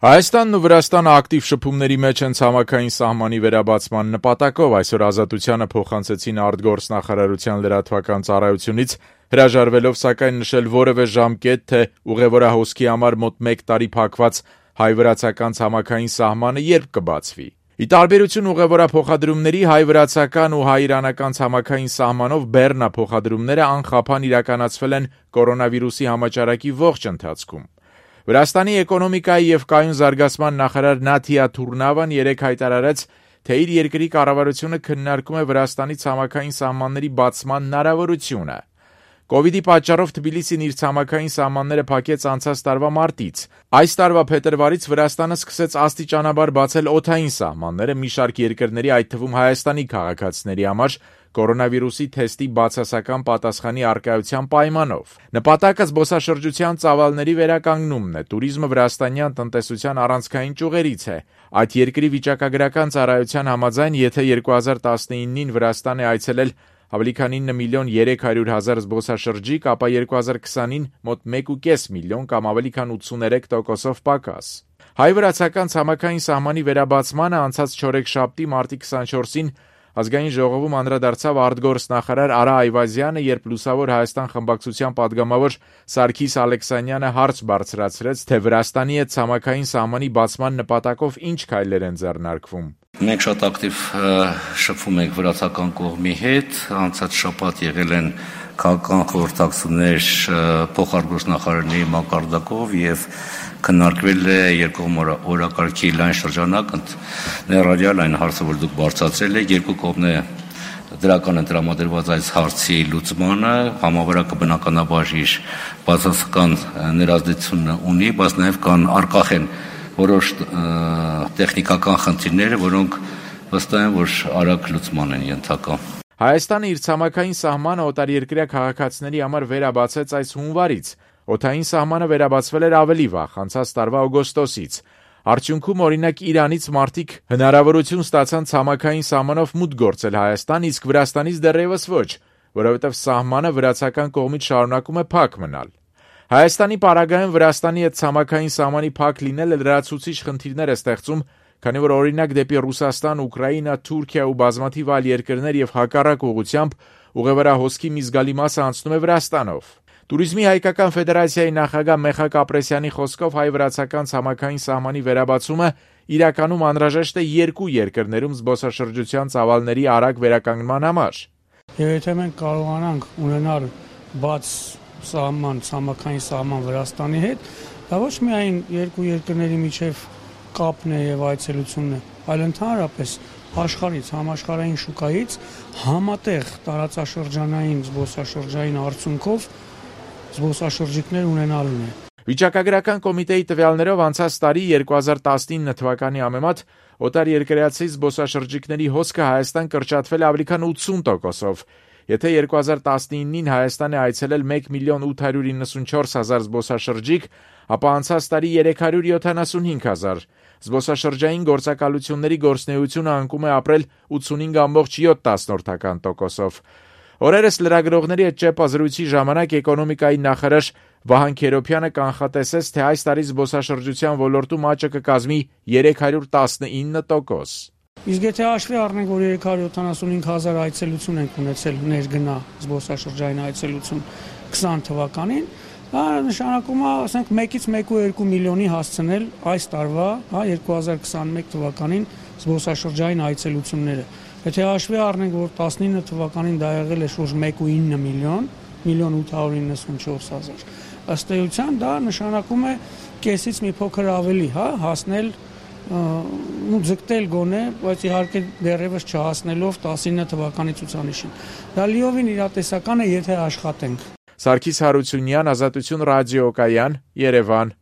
Հայաստանն ու Վրաստանը ակտիվ շփումների մեջ են ցամաքային սահմանի վերաբացման նպատակով, այսօր Ազատությանը փոխանցեցին արտգործնախարարության լրատվական ծառայությունից, հրաժարվելով սակայն նշել որևէ ժամկետ, թե ուղևորահոսքի համար մոտ 1 տարի փակված հայ-վրացական ցամաքային սահմանը երբ կբացվի։ Ի տարբերություն ուղևորափոխադրումների, հայ-վրացական ու հայ-իրանական ցամաքային սահմանով բեռնափոխադրումները անխափան իրականացվել են կորոնավիրուսի համաճարակի ողջ ընթացքում։ Վրաստանի էկոնոմիկայի եւ կայուն զարգացման նախարար Նաթիա Թուրնավան երեկ հայտարարեց, թե իր երկրի կառավարությունը քննարկում է Վրաստանի ցամաքային սահմանների բացման հնարավորությունը։ Կովիդի պատճառով Թբիլիսին իր ցամաքային սահմանները փակեց անցած տարվա մարտից։ Այս տարվա փետրվարից Վրաստանը սկսեց աստիճանաբար բացել օդային սահմանները մի շարք երկրների, այդ թվում Հայաստանի քաղաքացիների համար կորոնավիրուսի թեստի բացասական պատասխանի առկայության պայմանով։ Նպատակը զբոսաշրջության ծավալների վերականգնումն է։ Տուրիզմը վրաստանյան տնտեսության առանցքային ճյուղերից է։ Այդ երկրի վիճակագրական ծառայության համաձայն, եթե 2019-ին Վրաստան է այցելել ավելի քան 9 միլիոն 300 հազար զբոսաշրջիկ, ապա 2020-ին մոտ 1,5 միլիոն կամ ավելի քան 83%-ով պակաս։ Հայ-վրացական ցամաքային սահմանի վերաբացմանը անցած չորեքշաբթի մարտի 24-ին Ազգային ժողովում անդրադարձավ արտգործնախարար Արա Այվազյանը, երբ Լուսավոր Հայաստան խմբակցության падգամավոր Սարգիս Ալեքսանյանը հարց բարձրացրեց, թե Վրաստանի հետ ցամաքային սահմանի բացման նպատակով ինչ քայլեր են ձեռնարկվում։ Մենք շատ ակտիվ շփվում ենք վրացական կողմի հետ, անցած շաբաթ եղել են քաղաքական խորհրդակցություններ փոխարտգործնախարարների մակարդակով եւ քննարկվել է երկկողմ օրակարգի լայն շրջանակ, ներառյալ այն հարցը, որ դուք բարձրացրել եք, երկու կողմն է դրական են տրամադրված այս հարցի լուծմանը, համավարակը բնականաբար իր բացասական ներազդեցությունը ունի, բայց նաև կան առկախ են որոշ տեխնիկական խնդիրները, որոնք վստահ են, որ արագ լուծման են ենթակա։ Հայաստանը իր ցամաքային սահմանը օտարերկրյա քաղաքացիների համար վերաբացեց այս հունվարից։ Օդային սահմանը վերաբացվել էր ավելի վաղ, անցած տարվա օգոստոսից։ Արդյունքում, օրինակ, Իրանից մարդիկ հնարավորություն ստացան ցամաքային սահմանով մուտք գործել Հայաստան, իսկ Վրաստանից դեռևս ոչ, որովհետև սահմանը վրացական կողմից շարունակում է փակ մնալ։ Հայաստանի պարագայում Վրաստանի հետ ցամաքային սահմանի փակ լինելը լրացուցիչ խնդիրներ է ստեղծում, քանի որ օրինակ դեպի Ռուսաստան, Ուկրաինա, Թուրքիա ու բազմաթիվ այլ երկրներ եւ հակառակ ուղղությամբ ուղևորահոսքի մի զգալի մասը անցնում է Վրաստանով։ Տուրիզմի հայկական ֆեդերացիայի նախագահ Մեխակ Ապրեսյանի խոսքով հայ-վրացական ցամաքային սահմանի վերաբացումը իրականում անհրաժեշտ է երկու երկրներում զբոսաշրջության ծավալների արագ վերականգնման համար։ Եվ եթե մենք կարողանանք ունենալ բաց սահման, ցամաքային սահման Վրաստանի հետ, դա ոչ միայն երկու երկրների միջև կապն է եւ այցելությունն է, այլ ընդհանրապես աշխարհից, համաշխարհային շուկայից համատեղ տարածաշրջանային զբոսաշրջային արդյունքով զբոսաշրջիկներ ունենալուն է։ Վիճակագրական կոմիտեի տվյալներով անցած տարի 2019 թվականի համեմատ օտարերկրացի զբոսաշրջիկների հոսքը Հայաստան կրճատվել ավելի քան 80%-ով։ Եթե 2019-ին Հայաստան է այցելել 1 միլիոն 894 հազար զբոսաշրջիկ, ապա անցած տարի 375 հազար։ Զբոսաշրջային գործակալությունների գործունեությունը անկում է ապրել 85,7%-ով։ Օրերս լրագրողների հետ ճեպազրույցի ժամանակ էկոնոմիկայի նախարար Վահան Քերոբյանը կանխատեսեց, թե այս տարի զբոսաշրջության ոլորտում աճը կկազմի 319%։ Իսկ եթե հաշվի առնենք, որ 375 հազար այցելություն ենք ունեցել ներգնա զբոսաշրջային այցելություն 20 թվականին, դա նշանակում է, ասենք 1-ից 1.2 միլիոնի հասցնել այս տարվա, 2021 թվականին զբոսաշրջային այցելությունները։ Եթե հաշվի առնենք, որ 19 թվականին դա եղել է շուրջ 1.9 միլիոն, 1.894 հազար։ Ըստ էության դա նշանակում է կեսից մի փոքր ավելի, հասնել ձգտել գոնե, բայց իհարկե դեռևս չհասնելով 19 թվականի ցուցանիշին։ Դա լիովին իրատեսական է, եթե աշխատենք։ Սարգիս Հարությունյան, Ազատություն ռադիոկայան, Երևան։